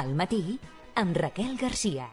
Al matí, amb Raquel Garcia.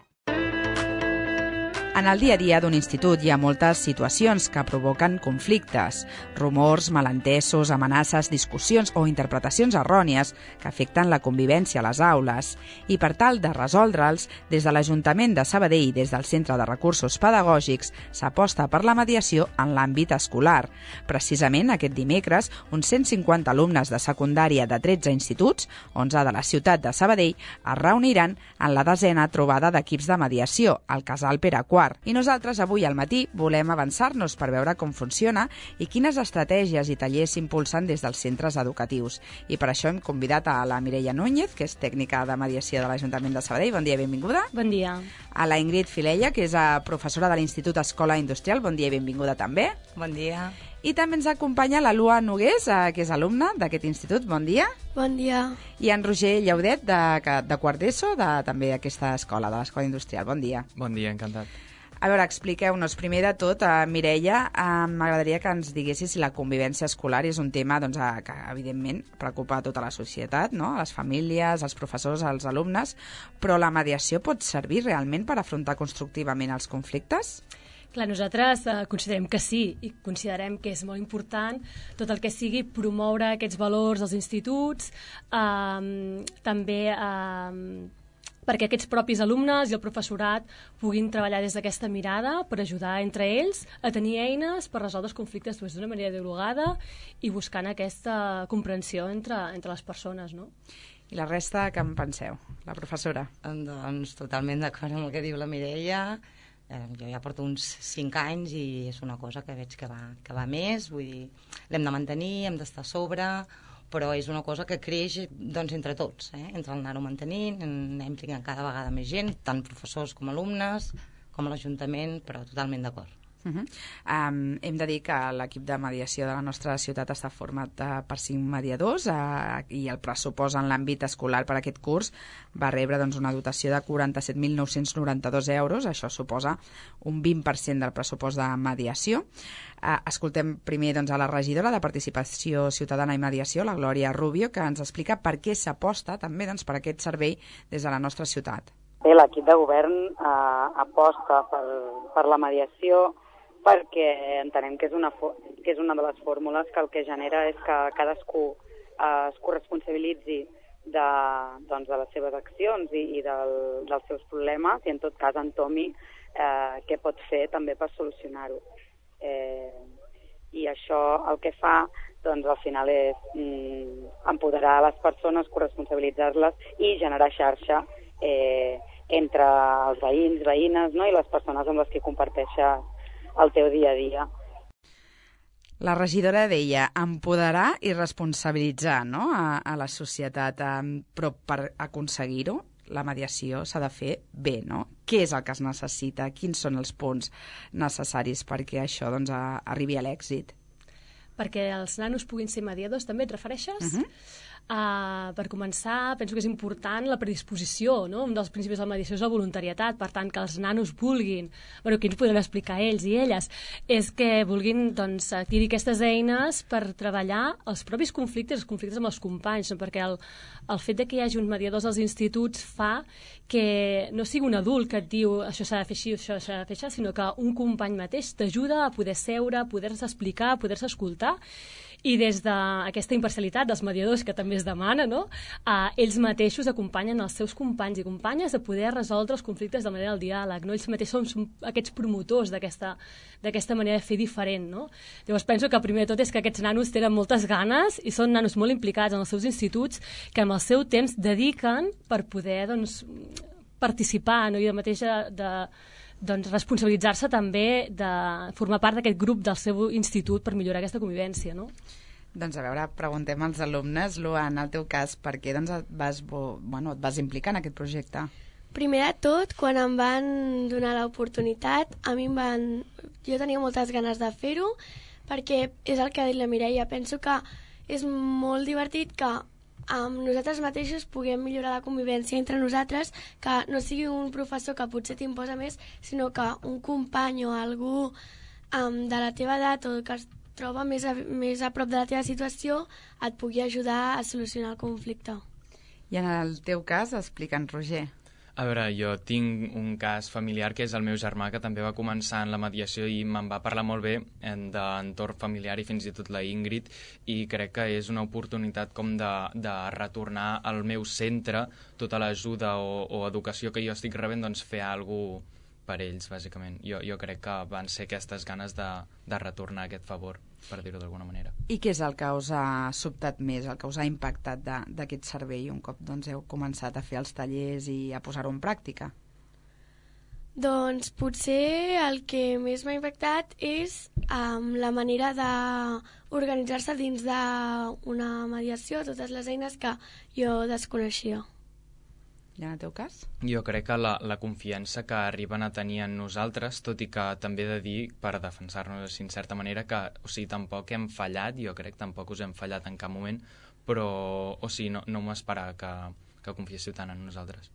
En el dia a dia d'un institut hi ha moltes situacions que provoquen conflictes, rumors, malentesos, amenaces, discussions o interpretacions errònies que afecten la convivència a les aules. I per tal de resoldre'ls, des de l'Ajuntament de Sabadell i des del Centre de Recursos Pedagògics s'aposta per la mediació en l'àmbit escolar. Precisament aquest dimecres, uns 150 alumnes de secundària de 13 instituts, 11 de la ciutat de Sabadell, es reuniran en la 10a trobada d'equips de mediació, al Casal Pere IV. I nosaltres avui al matí volem avançar-nos per veure com funciona i quines estratègies i tallers s'impulsen des dels centres educatius. I per això hem convidat a la Mireia Núñez, que és tècnica de mediació de l'Ajuntament de Sabadell. Bon dia i benvinguda. Bon dia. A la Ingrid Filella, que és professora de l'Institut Escola Industrial. Bon dia i benvinguda també. Bon dia. I també ens acompanya la Lua Nogués, que és alumna d'aquest institut. Bon dia. Bon dia. I en Roger Llaudet, de quart d'ESO, també d'aquesta escola, de l'Escola Industrial. Bon dia. Bon dia, encantat. A veure, expliqueu-nos. Primer de tot, Mireia, m'agradaria que ens diguessis si la convivència escolar és un tema que, evidentment, preocupa a tota la societat, no? A les famílies, als professors, als alumnes, però la mediació pot servir realment per afrontar constructivament els conflictes? Clar, nosaltres considerem que sí, i considerem que és molt important tot el que sigui promoure aquests valors als instituts, també perquè aquests propis alumnes i el professorat puguin treballar des d'aquesta mirada per ajudar entre ells a tenir eines per resoldre els conflictes d'una manera dialogada i buscant aquesta comprensió entre les persones, no? I la resta, què en penseu? La professora? Doncs totalment d'acord amb el que diu la Mireia. Jo ja porto uns 5 anys i és una cosa que veig que va més, vull dir, l'hem de mantenir, hem d'estar a sobre, però és una cosa que creix entre tots, entre el anar-ho mantenint, anem ficant cada vegada més gent, tant professors com alumnes, com l'Ajuntament, però totalment d'acord. Hem de dir que l'equip de mediació de la nostra ciutat està format per 5 mediadors i el pressupost en l'àmbit escolar per aquest curs va rebre una dotació de 47.992 euros. Això suposa un 20% del pressupost de mediació. Escoltem primer a la regidora de Participació Ciutadana i Mediació, la Glòria Rubio, que ens explica per què s'aposta també per aquest servei des de la nostra ciutat. Bé, l'equip de govern aposta per la mediació perquè entenem que és una de les fórmules que el que genera és que cadascú es corresponsabilitzi de les seves accions i dels seus problemes i en tot cas entomi què pot fer també per solucionar-ho. I això el que fa al final és empoderar les persones, corresponsabilitzar-les i generar xarxa entre els veïns, veïnes, no? I les persones amb les que comparteixes el teu dia a dia. La regidora deia empoderar i responsabilitzar, no? a la societat, però per aconseguir-ho la mediació s'ha de fer bé, no? Què és el que es necessita? Quins són els punts necessaris perquè això arribi a l'èxit? Perquè els nanos puguin ser mediadors, també et refereixes? Per començar, penso que és important la predisposició, no? Un dels principis de la mediació és la voluntarietat, per tant, que els nanos vulguin, aquí ens podran explicar ells i elles, és que vulguin adquirir aquestes eines per treballar els propis conflictes, els conflictes amb els companys, no? Perquè el fet de que hi hagi uns mediadors als instituts fa que no sigui un adult que et diu això s'ha de fer així, això s'ha de fer així, sinó que un company mateix t'ajuda a poder seure, a poder-se explicar, a poder-se escoltar. I des d'aquesta imparcialitat dels mediadors que també es demana, no? Ells mateixos acompanyen els seus companys i companyes a poder resoldre els conflictes de manera del diàleg, no? Ells mateixos són aquests promotors d'aquesta manera de fer diferent, no? Llavors penso que primer de tot és que aquests nanos tenen moltes ganes i són nanos molt implicats en els seus instituts que amb el seu temps dediquen per poder participar, no? I de mateix responsabilitzar-se també de formar part d'aquest grup del seu institut per millorar aquesta convivència, no? Doncs a veure, preguntem als alumnes, Lua, en el teu cas, per què et vas implicar en aquest projecte? Primer de tot, quan em van donar l'oportunitat, jo tenia moltes ganes de fer-ho, perquè és el que ha dit la Mireia. Penso que és molt divertit que nosaltres mateixos puguem millorar la convivència entre nosaltres, que no sigui un professor que potser t'imposa més, sinó que un company o algú de la teva edat o que es troba més a prop de la teva situació et pugui ajudar a solucionar el conflicte. I en el teu cas, explica'ns, Roger. A veure, jo tinc un cas familiar que és el meu germà, que també va començar en la mediació i me'n va parlar molt bé d'entorn familiar i fins i tot la Ingrid, i crec que és una oportunitat com de retornar al meu centre tota l'ajuda o educació que jo estic rebent, doncs fer alguna cosa per ells, bàsicament. Jo crec que van ser aquestes ganes de retornar aquest favor, per dir-ho d'alguna manera. I què és el que us ha sobtat més, el que us ha impactat d'aquest servei un cop heu començat a fer els tallers i a posar-ho en pràctica? Doncs potser el que més m'ha impactat és la manera d'organitzar-se dins d'una mediació, totes les eines que jo desconeixia. I en el teu cas? Jo crec que la confiança que arriben a tenir en nosaltres, tot i que també he de dir, per defensar-nos en certa manera, que tampoc hem fallat, jo crec, tampoc us hem fallat en cap moment, però no m'esperava que confiéssiu tant en nosaltres.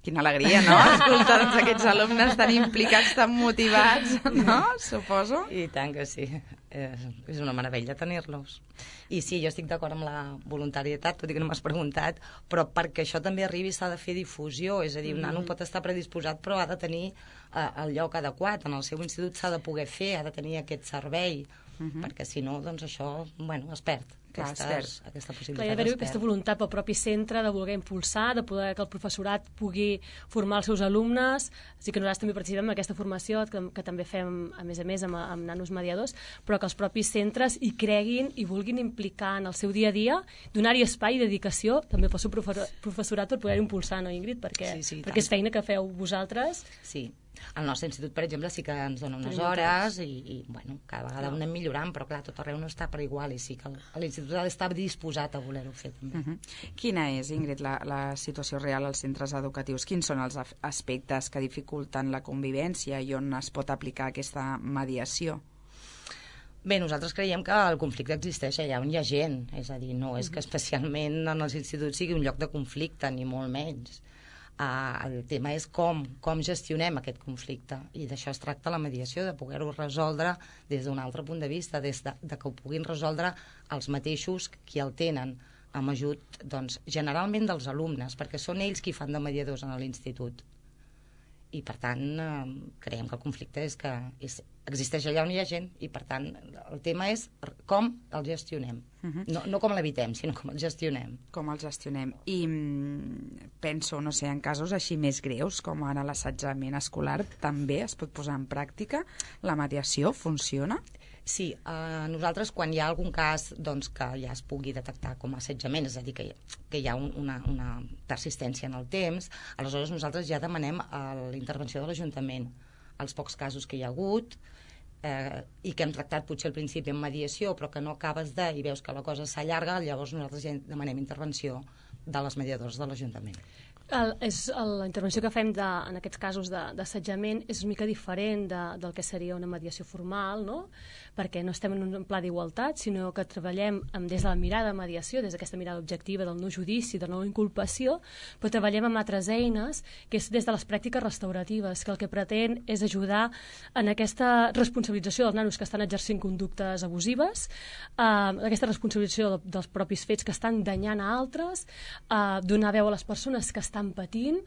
Quina alegria, no? Escoltar aquests alumnes tan implicats, tan motivats, no? Suposo. I tant que sí. És una meravella tenir-los. I sí, jo estic d'acord amb la voluntarietat, tot i que no m'has preguntat, però perquè això també arribi s'ha de fer difusió, és a dir, un nano pot estar predisposat però ha de tenir el lloc adequat, en el seu institut s'ha de poder fer, ha de tenir aquest servei, perquè si no, doncs això, es perd. Aquesta possibilitat. Hi ha d'haver aquesta voluntat pel propi centre de voler impulsar, de poder que el professorat pugui formar els seus alumnes. Així que nosaltres també participem en aquesta formació que també fem, a més amb nanos mediadors, però que els propis centres hi creguin i vulguin implicar en el seu dia a dia, donar-hi espai i dedicació també pel seu professorat per poder impulsar, no, Ingrid? Perquè és feina que feu vosaltres. Sí. Al nostre institut, per exemple, sí que ens dona unes hores i cada vegada ho anem millorant, però clar, tot arreu no està per igual i sí que l'institut ha d'estar disposat a voler-ho fer també. Quina és, Ingrid, la situació real als centres educatius? Quins són els aspectes que dificulten la convivència i on es pot aplicar aquesta mediació? Bé, nosaltres creiem que el conflicte existeix allà on hi ha gent, és a dir, no és que especialment en els instituts sigui un lloc de conflicte, ni molt menys. El tema és com gestionem aquest conflicte, i d'això es tracta la mediació, de poder-ho resoldre des d'un altre punt de vista, de que ho puguin resoldre els mateixos qui el tenen, amb ajut generalment dels alumnes, perquè són ells qui fan de mediadors en l'institut. I per tant creiem que el conflicte existeix allà on hi ha gent, i per tant el tema és com el gestionem, no com l'evitem, sinó com el gestionem. Com el gestionem. I penso, no sé, en casos així més greus, com ara l'assetjament escolar, també es pot posar en pràctica? La mediació funciona? Sí, nosaltres quan hi ha algun cas que ja es pugui detectar com a assetjament, és a dir, que hi ha una persistència en el temps, aleshores nosaltres ja demanem la intervenció de l'Ajuntament. Els pocs casos que hi ha hagut i que hem tractat potser al principi en mediació, però que no acabes i veus que la cosa s'allarga, llavors nosaltres ja demanem intervenció de les mediadores de l'Ajuntament. La intervenció que fem en aquests casos d'assetjament és una mica diferent del que seria una mediació formal, no? Perquè no estem en un pla d'igualtat, sinó que treballem des de la mirada de mediació, des d'aquesta mirada objectiva del no judici, de no inculpació, però treballem amb altres eines, que és des de les pràctiques restauratives, que el que pretén és ajudar en aquesta responsabilització dels nanos que estan exercint conductes abusives, aquesta responsabilització dels propis fets que estan danyant a altres, donar veu a les persones que estan patint,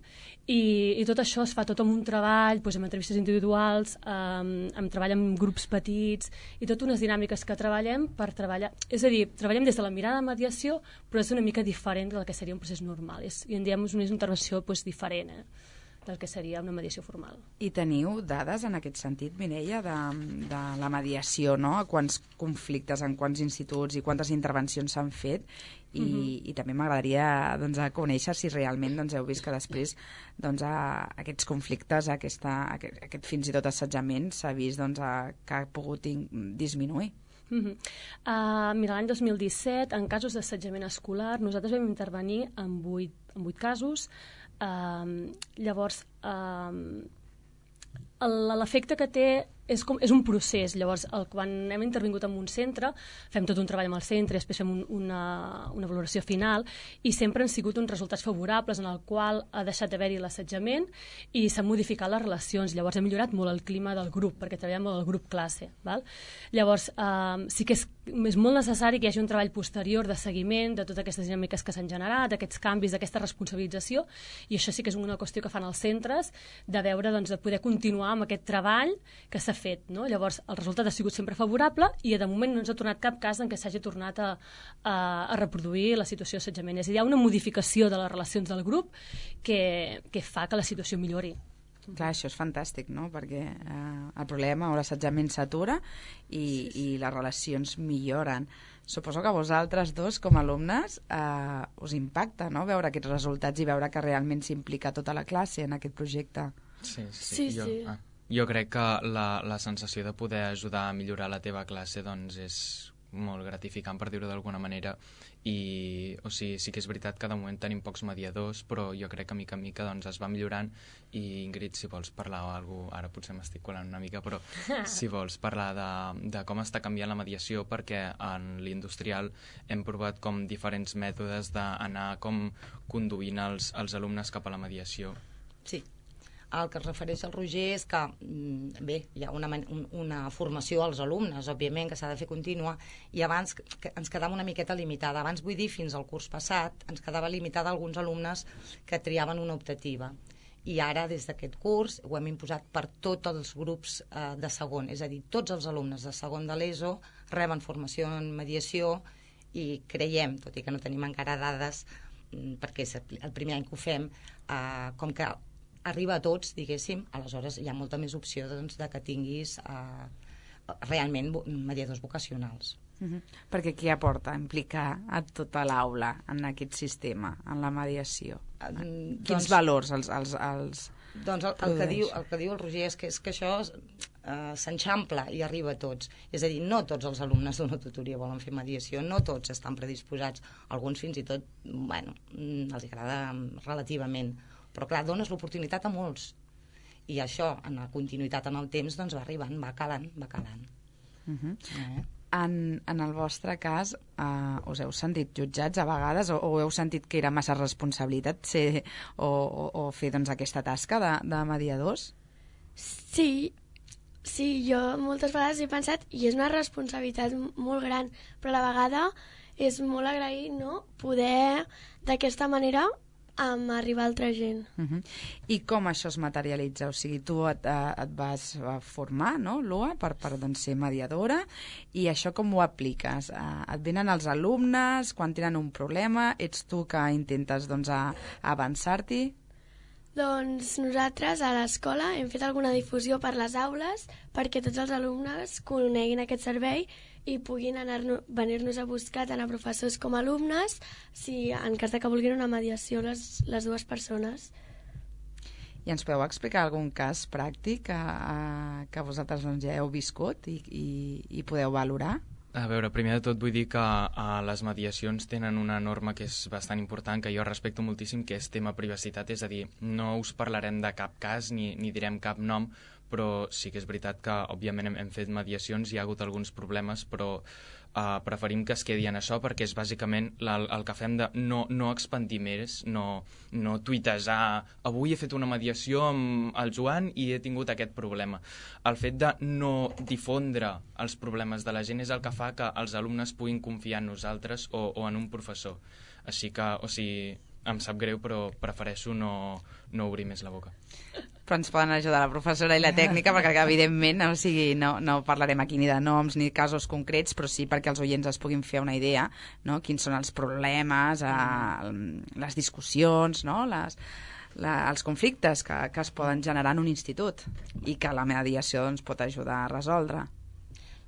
i tot això es fa tot amb un treball, amb entrevistes individuals, amb treball amb grups petits, i totes unes dinàmiques que treballem per treballar. És a dir, treballem des de la mirada de mediació, però és una mica diferent del que seria un procés normal. I en diem una intervenció diferent del que seria una mediació formal. I teniu dades en aquest sentit, Mireia, de la mediació, no? A quants conflictes, en quants instituts i quantes intervencions s'han fet? I també m'agradaria conèixer si realment heu vist que després aquests conflictes, aquest fins i tot assetjament s'ha vist que ha pogut disminuir. Mira, l'any 2017, en casos d'assetjament escolar, nosaltres vam intervenir en 8 casos. Llavors, l'efecte que té és un procés. Llavors, quan hem intervingut en un centre, fem tot un treball amb el centre i després fem una valoració final, i sempre han sigut uns resultats favorables en el qual ha deixat d'haver-hi l'assetjament i s'han modificat les relacions. Llavors, hem millorat molt el clima del grup, perquè treballem amb el grup classe. Val? Llavors, sí que és molt necessari que hi hagi un treball posterior de seguiment de totes aquestes dinàmiques que s'han generat, aquests canvis, d'aquesta responsabilització, i això sí que és una qüestió que fan els centres, de veure, doncs, de poder continuar amb aquest treball que s'ha fet, no? Llavors, el resultat ha sigut sempre favorable i de moment no ens ha tornat cap cas en què s'hagi tornat a reproduir la situació d'assetjament. És a dir, hi ha una modificació de les relacions del grup que fa que la situació millori. Clar, això és fantàstic, no? Perquè el problema o l'assetjament s'atura i les relacions milloren. Suposo que a vosaltres dos, com a alumnes, us impacta, no?, veure aquests resultats i veure que realment s'implica tota la classe en aquest projecte. Sí. Jo crec que la sensació de poder ajudar a millorar la teva classe doncs és molt gratificant, per dir-ho d'alguna manera, i sí que és veritat que de moment tenim pocs mediadors, però jo crec que mica en mica doncs, es va millorant. I Ingrid, si vols parlar o alguna cosa, ara potser m'estic colant una mica, però si vols parlar de com està canviant la mediació, perquè en l'industrial hem provat com diferents mètodes d'anar com conduint els alumnes cap a la mediació. Sí. El que es refereix al Roger és que, bé, hi ha una formació als alumnes, òbviament, que s'ha de fer contínua, i abans ens quedava una miqueta limitada. Abans, vull dir, fins al curs passat, ens quedava limitada a alguns alumnes que triaven una optativa. I ara, des d'aquest curs, ho hem imposat per tots els grups de segon. És a dir, tots els alumnes de segon de l'ESO reben formació en mediació i creiem, tot i que no tenim encara dades, perquè és el primer any que ho fem, com que arriba a tots, diguéssim, aleshores hi ha molta més opció doncs, de que tinguis realment mediadors vocacionals. Perquè què aporta implicar a tota l'aula en aquest sistema, en la mediació? Quins valors els Doncs el que diu el Roger és que això s'enxampla i arriba a tots. És a dir, no tots els alumnes d'una tutoria volen fer mediació, no tots estan predisposats, alguns fins i tot, bueno, els agrada relativament, però clar, dones l'oportunitat a molts, i això, en la continuïtat en el temps, doncs va arribant, va calant. En el vostre cas, us heu sentit jutjats a vegades o heu sentit que era massa responsabilitat o fer doncs, aquesta tasca de mediadors? Sí, jo moltes vegades he pensat, i és una responsabilitat molt gran, però a la vegada és molt agraït, no?, poder d'aquesta manera arribar a altra gent. I com això es materialitza? O sigui, tu et vas formar, no, Lua, per doncs, ser mediadora, i això com ho apliques? Et venen els alumnes quan tenen un problema? Ets tu que intentes doncs, avançar-t'hi? Doncs nosaltres a l'escola hem fet alguna difusió per les aules perquè tots els alumnes coneguin aquest servei i puguin venir-nos a buscar tant a professors com a alumnes si en cas que vulguin una mediació les dues persones. I ens podeu explicar algun cas pràctic que vosaltres doncs, ja heu viscut i podeu valorar? A veure, primer de tot vull dir que les mediacions tenen una norma que és bastant important, que jo respecto moltíssim, que és tema privacitat, és a dir, no us parlarem de cap cas ni direm cap nom, però sí que és veritat que, òbviament, hem fet mediacions, hi ha hagut alguns problemes, però preferim que es quedi en això perquè és bàsicament el que fem de no expandir més, no tuitesar avui he fet una mediació amb el Joan i he tingut aquest problema. El fet de no difondre els problemes de la gent és el que fa que els alumnes puguin confiar en nosaltres o en un professor. Així que, em sap greu, però prefereixo no obrir més la boca. Però ens poden ajudar la professora i la tècnica, perquè evidentment no parlarem aquí ni de noms ni casos concrets, però sí perquè els oients es puguin fer una idea, no? Quins són els problemes, les discussions, no? Els conflictes que es poden generar en un institut i que la mediació doncs, pot ajudar a resoldre.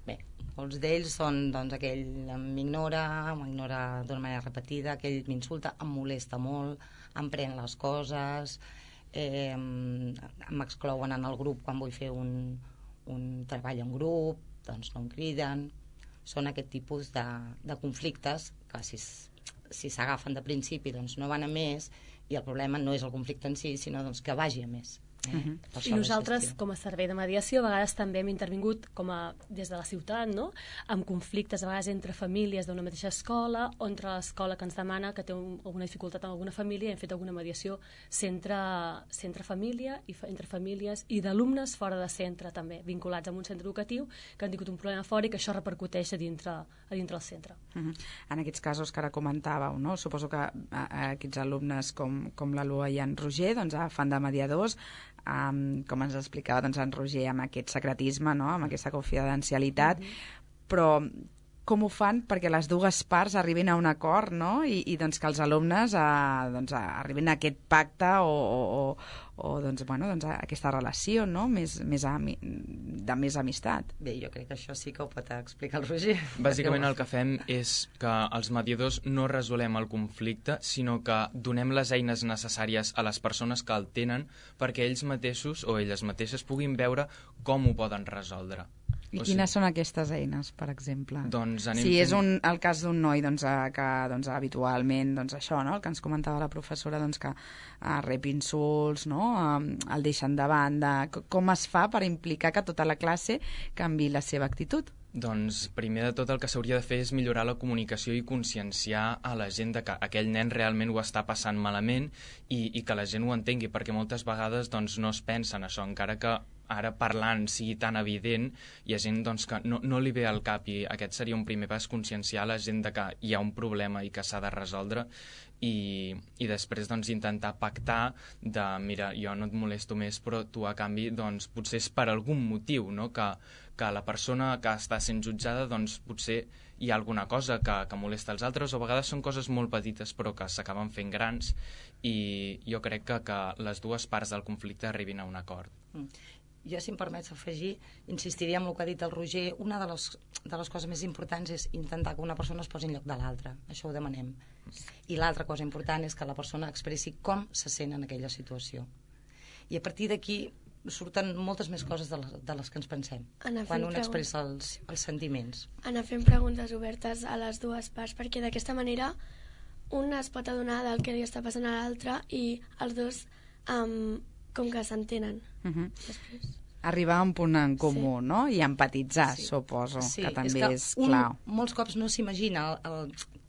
Bé, molts d'ells són doncs, aquell m'ignora d'una manera repetida, aquell m'insulta, em molesta molt, em pren les coses, m'exclouen en el grup quan vull fer un treball en grup, doncs no em criden. Són aquest tipus de conflictes que si s'agafen de principi doncs no van a més, i el problema no és el conflicte en si, sinó doncs, que vagi a més. I nosaltres, com a servei de mediació, a vegades també hem intervingut des de la ciutat, no? Amb conflictes, a vegades entre famílies d'una mateixa escola, o entre l'escola que ens demana que té alguna dificultat amb alguna família, i hem fet alguna mediació centre-família, entre famílies, i d'alumnes fora de centre també, vinculats amb un centre educatiu, que han tingut un problema fora i que això repercuteix a dintre el centre. En aquests casos que ara comentàveu, no? Suposo que aquests alumnes com la Lua i en Roger doncs, fan de mediadors, com ens explicava doncs, en Roger, amb aquest secretisme, no? Amb aquesta confidencialitat, però com ho fan perquè les dues parts arribin a un acord, no? I doncs, que els alumnes arribin a aquest pacte o doncs, a aquesta relació, no? de més amistat. Bé, jo crec que això sí que ho pot explicar el Roger. Bàsicament el que fem és que els mediadors no resolem el conflicte, sinó que donem les eines necessàries a les persones que el tenen perquè ells mateixos o elles mateixes puguin veure com ho poden resoldre. I quines són aquestes eines, per exemple? Doncs si és el cas d'un noi que habitualment, això, no? El que ens comentava la professora, que rep insults, no? El deixen de banda. Com es fa per implicar que tota la classe canviï la seva actitud? Doncs primer de tot el que s'hauria de fer és millorar la comunicació i conscienciar a la gent de que aquell nen realment ho està passant malament i que la gent ho entengui, perquè moltes vegades no es pensa en això, encara que ara parlant sigui tan evident, hi ha gent que no li ve al cap, i aquest seria un primer pas, conscienciar la gent de que hi ha un problema i que s'ha de resoldre, i després intentar pactar de, mira, jo no et molesto més, però tu a canvi potser és per algun motiu, no? Que la persona que està sent jutjada potser hi ha alguna cosa que molesta els altres, o a vegades són coses molt petites però que s'acaben fent grans, i jo crec que les dues parts del conflicte arribin a un acord. Jo, si em permets afegir, insistiria en el que ha dit el Roger. Una de les coses més importants és intentar que una persona es posi en lloc de l'altra. Això ho demanem. I l'altra cosa important és que la persona expressi com se sent en aquella situació. I a partir d'aquí surten moltes més coses de les que ens pensem quan un expressa els sentiments. Anar fent preguntes obertes a les dues parts, perquè d'aquesta manera un es pot adonar del que li està passant a l'altre i els dos com que s'entenen. Després arribar a un punt en comú, no? I empatitzar, suposo, que també és clau. Molts cops no s'imagina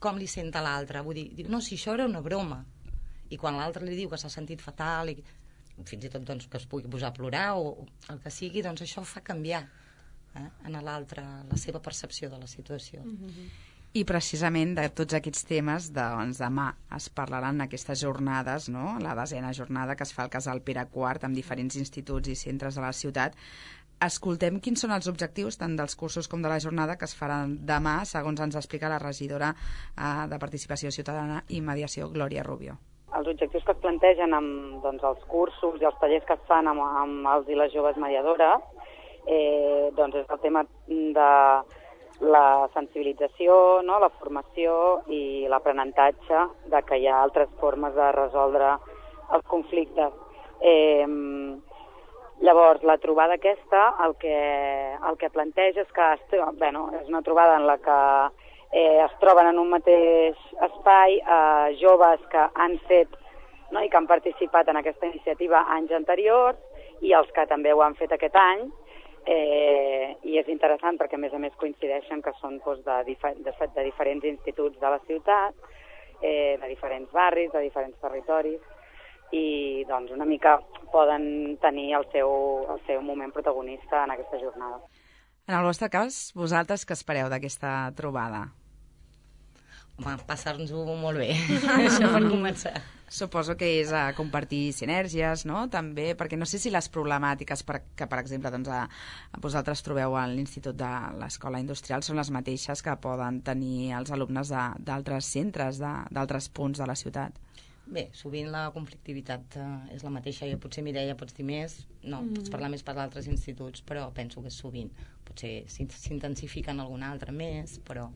com li senta l'altre. Vull dir, no, si això era una broma. I quan l'altre li diu que s'ha sentit fatal, i fins i tot que es pugui posar a plorar o el que sigui, això fa canviar en l'altre la seva percepció de la situació. I precisament de tots aquests temes, demà es parlaran aquestes jornades, no? La 10ª jornada que es fa al Casal Pere IV amb diferents instituts i centres de la ciutat. Escoltem quins són els objectius tant dels cursos com de la jornada que es faran demà, segons ens explica la regidora de Participació Ciutadana i Mediació, Glòria Rubio. Els objectius que es plantegen amb els cursos i els tallers que es fan amb els i les joves mediadores és el tema de la sensibilització, no? La formació i l'aprenentatge de que hi ha altres formes de resoldre els conflictes. Llavors, la trobada aquesta el que planteja és que és una trobada en la que es troben en un mateix espai joves que han fet, no? I que han participat en aquesta iniciativa anys anteriors i els que també ho han fet aquest any. I és interessant perquè a més coincideixen que són de diferents instituts de la ciutat, de diferents barris, de diferents territoris, i una mica poden tenir el seu moment protagonista en aquesta jornada. En el vostre cas, vosaltres què espereu d'aquesta trobada? Home, passar-nos-ho molt bé, això per començar. Suposo que és a compartir sinergies, no? També, perquè no sé si les problemàtiques que, per exemple, vosaltres trobeu a l'Institut de l'Escola Industrial són les mateixes que poden tenir els alumnes d'altres centres, d'altres punts de la ciutat. Bé, sovint la conflictivitat és la mateixa. Jo potser, Mireia, pots dir més, no, pots parlar més per d'altres instituts, però penso que és sovint. Potser s'intensifica en algun altre més, però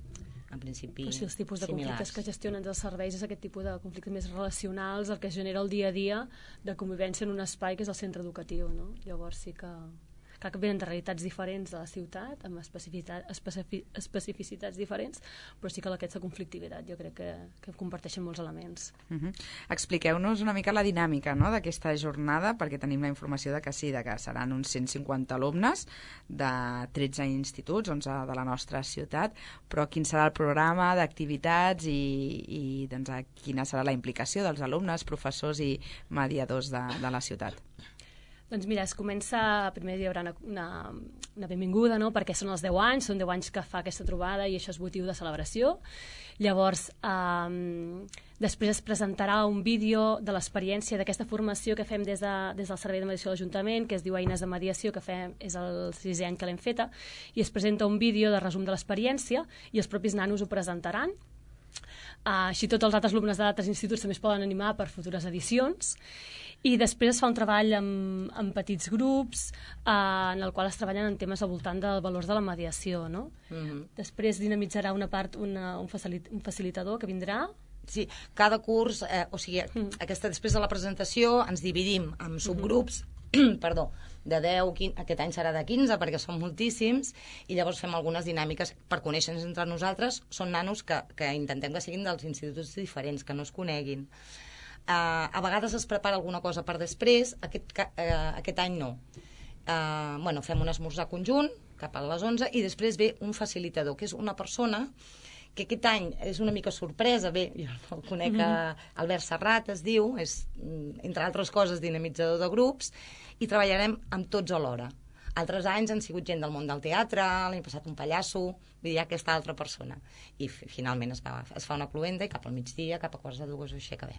en principi similars. Els tipus de conflictes que gestionen els serveis és aquest tipus de conflictes més relacionals, el que genera el dia a dia de convivència en un espai que és el centre educatiu, no? Llavors sí que que venen de realitats diferents de la ciutat, amb especificitats diferents, però sí que aquesta conflictivitat jo crec que comparteixen molts elements. Expliqueu-nos una mica la dinàmica, no?, d'aquesta jornada, perquè tenim la informació de que sí, de que seran uns 150 alumnes de 13 instituts, 11 de la nostra ciutat, però quin serà el programa d'activitats i doncs, quina serà la implicació dels alumnes, professors i mediadors de la ciutat? Doncs mira, es comença, primer hi haurà una benvinguda, no?, perquè són els 10 anys, són 10 anys que fa aquesta trobada i això és motiu de celebració. Llavors, després es presentarà un vídeo de l'experiència d'aquesta formació que fem des del Servei de Mediació de l'Ajuntament, que es diu Eines de Mediació, que és el 6è any que l'hem feta, i es presenta un vídeo de resum de l'experiència i els propis nanos ho presentaran. Així tots els altres alumnes d'altres instituts també es poden animar per futures edicions. I després es fa un treball en petits grups en el qual es treballen en temes al voltant dels valors de la mediació, no? Després dinamitzarà una part un facilitador que vindrà. Sí, cada curs, després de la presentació ens dividim en subgrups, perdó, de 10, 15, aquest any serà de 15 perquè són moltíssims, i llavors fem algunes dinàmiques per conèixer-nos entre nosaltres. Són nanos que intentem que siguin dels instituts diferents, que no es coneguin. A vegades es prepara alguna cosa per després, aquest any no. Fem un esmorzar conjunt cap a les 11 i després ve un facilitador, que és una persona que aquest any és una mica sorpresa. Bé, jo el conec, Albert Serrat es diu, és, entre altres coses, dinamitzador de grups, i treballarem amb tots alhora. Altres anys han sigut gent del món del teatre, l'any passat un pallasso, vull dir, aquesta altra persona. I finalment es fa una cluenda i cap al migdia, cap a quarts de 2 o així acabem.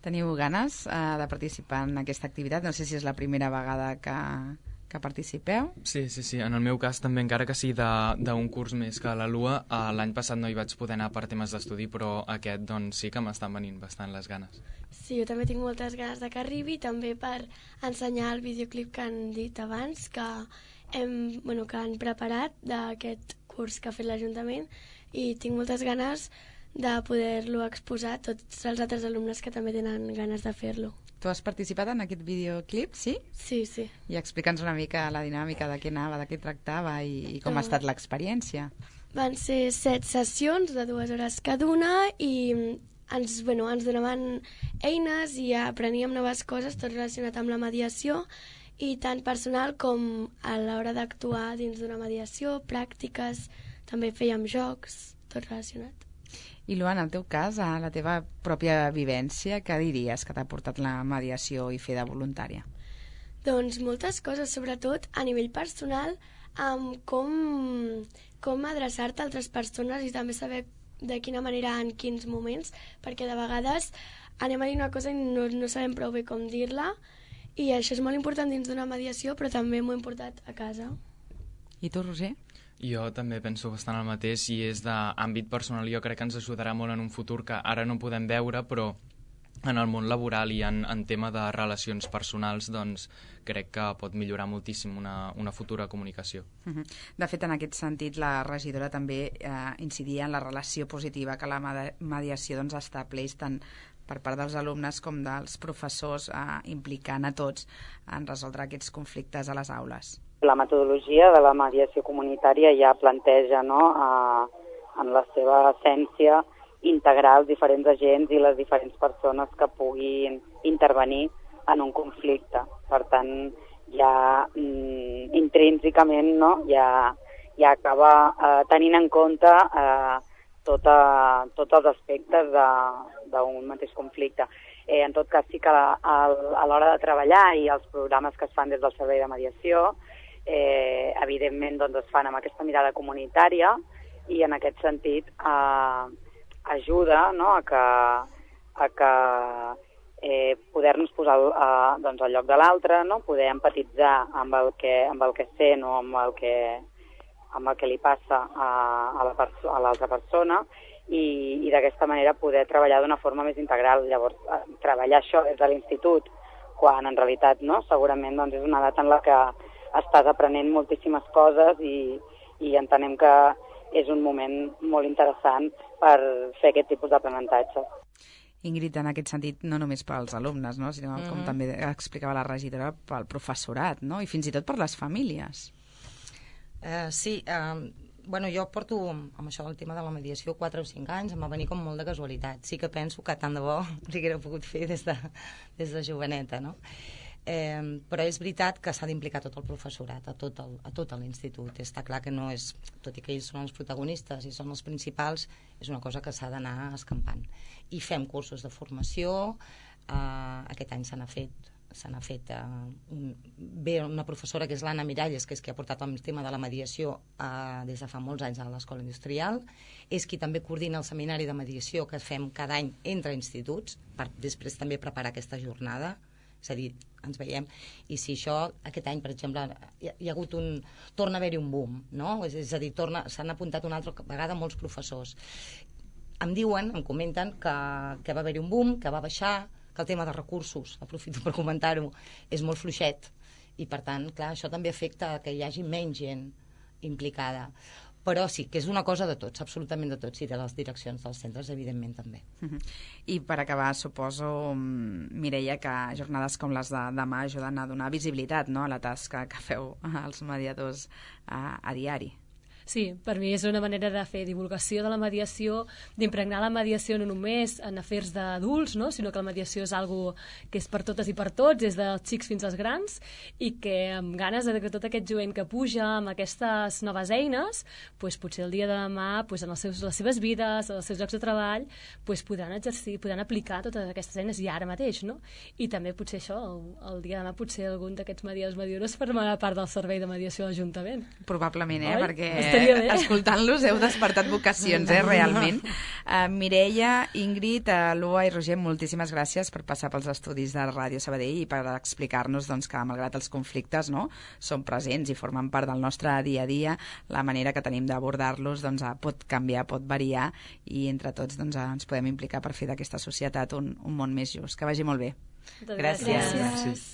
Teniu ganes de participar en aquesta activitat? No sé si és la primera vegada que participeu. Sí. En el meu cas també, encara que sigui d'un curs més que la LUA, l'any passat no hi vaig poder anar per temes d'estudi, però aquest doncs sí que m'estan venint bastant les ganes. Sí, jo també tinc moltes ganes que arribi, també per ensenyar el videoclip que han dit abans, que han preparat d'aquest curs que ha fet l'Ajuntament, i tinc moltes ganes de poder-lo exposar a tots els altres alumnes que també tenen ganes de fer-lo. Tu has participat en aquest videoclip, sí? Sí. I explica'ns una mica la dinàmica, de què anava, de què tractava i com ha estat l'experiència. Van ser 7 sessions de 2 hores cada una i ens donaven eines i apreníem noves coses, tot relacionat amb la mediació, i tant personal com a l'hora d'actuar dins d'una mediació, pràctiques, també fèiem jocs, tot relacionat. I Luana, en el teu cas, a la teva pròpia vivència, què diries que t'ha portat la mediació i fer de voluntària? Doncs moltes coses, sobretot a nivell personal, amb com adreçar-te a altres persones i també saber de quina manera, en quins moments, perquè de vegades anem a dir una cosa i no sabem prou bé com dir-la, i això és molt important dins d'una mediació, però també m'ho he portat a casa. I tu, Roser? Jo també penso bastant el mateix, i és d'àmbit personal. Jo crec que ens ajudarà molt en un futur que ara no podem veure, però en el món laboral i en tema de relacions personals, doncs crec que pot millorar moltíssim una futura comunicació. De fet, en aquest sentit, la regidora també incidia en la relació positiva que la mediació estableix tant per part dels alumnes com dels professors, implicant a tots en resoldre aquests conflictes a les aules. La metodologia de la mediació comunitària ja planteja, en la seva essència, integrar els diferents agents i les diferents persones que puguin intervenir en un conflicte. Per tant, ja intrínsecament ja acaba tenint en compte tots els aspectes d'un mateix conflicte. En tot cas, sí que a l'hora de treballar i els programes que es fan des del Servei de Mediació, evidentment es fan amb aquesta mirada comunitària, i en aquest sentit ajuda a que poder-nos posar al lloc de l'altre, poder empatitzar amb el que sent o amb el que li passa a l'altra persona, i d'aquesta manera poder treballar d'una forma més integral. Llavors, treballar això des de l'institut, quan en realitat segurament és una edat en la que estàs aprenent moltíssimes coses i entenem que és un moment molt interessant per fer aquest tipus d'aprenentatge. Ingrid, en aquest sentit, no només pels alumnes, no? Sinó, com també explicava la regidora, pel professorat, no? I fins i tot per les famílies. Sí, bueno, jo porto amb això del tema de la mediació 4 o 5 anys, em va venir com molt de casualitat. Sí que penso que tant de bo l'haguera pogut fer des de joveneta, no? Però és veritat que s'ha d'implicar tot el professorat, a tot l'institut. Està clar que no és, tot i que ells són els protagonistes i són els principals, és una cosa que s'ha d'anar escampant. I fem cursos de formació, aquest any se n'ha fet ve una professora que és l'Anna Miralles, que és qui ha portat el tema de la mediació des de fa molts anys a l'Escola Industrial, és qui també coordina el seminari de mediació que fem cada any entre instituts, per després també preparar aquesta jornada. És a dir, ens veiem, i si això, aquest any, per exemple, hi ha hagut torna a haver-hi un boom, no? És a dir, s'han apuntat una altra vegada molts professors. Em comenten que va haver-hi un boom, que va baixar, que el tema de recursos, aprofito per comentar-ho, és molt fluixet, i per tant, clar, això també afecta que hi hagi menys gent implicada. Però sí, que és una cosa de tots, absolutament de tots, i de les direccions dels centres, evidentment, també. I per acabar, suposo, Mireia, que jornades com les de demà ajuden a donar visibilitat, no?, a la tasca que feu els mediadors a diari. Sí, per mi és una manera de fer divulgació de la mediació, d'impregnar la mediació no només en afers d'adults, no? Sinó que la mediació és algo que és per totes i per tots, des dels xics fins als grans, i que amb ganes de que tot aquest jovent que puja amb aquestes noves eines, doncs potser el dia de demà, doncs en les seves vides, als seus llocs de treball, doncs podran exercir, podran aplicar totes aquestes eines ja ara mateix, no? I també potser això, el dia de demà potser algun d'aquests mediadors formarà part del servei de mediació de l'Ajuntament. Probablement, Oi? Perquè escoltant-los heu despertat vocacions, realment. Mireia, Ingrid, Lua i Roger, moltíssimes gràcies per passar pels estudis de Ràdio Sabadell i per explicar-nos doncs, que, malgrat els conflictes, no, són presents i formen part del nostre dia a dia. La manera que tenim d'abordar-los doncs, pot canviar, pot variar, i entre tots doncs, ens podem implicar per fer d'aquesta societat un món més just. Que vagi molt bé. Gràcies. Gràcies.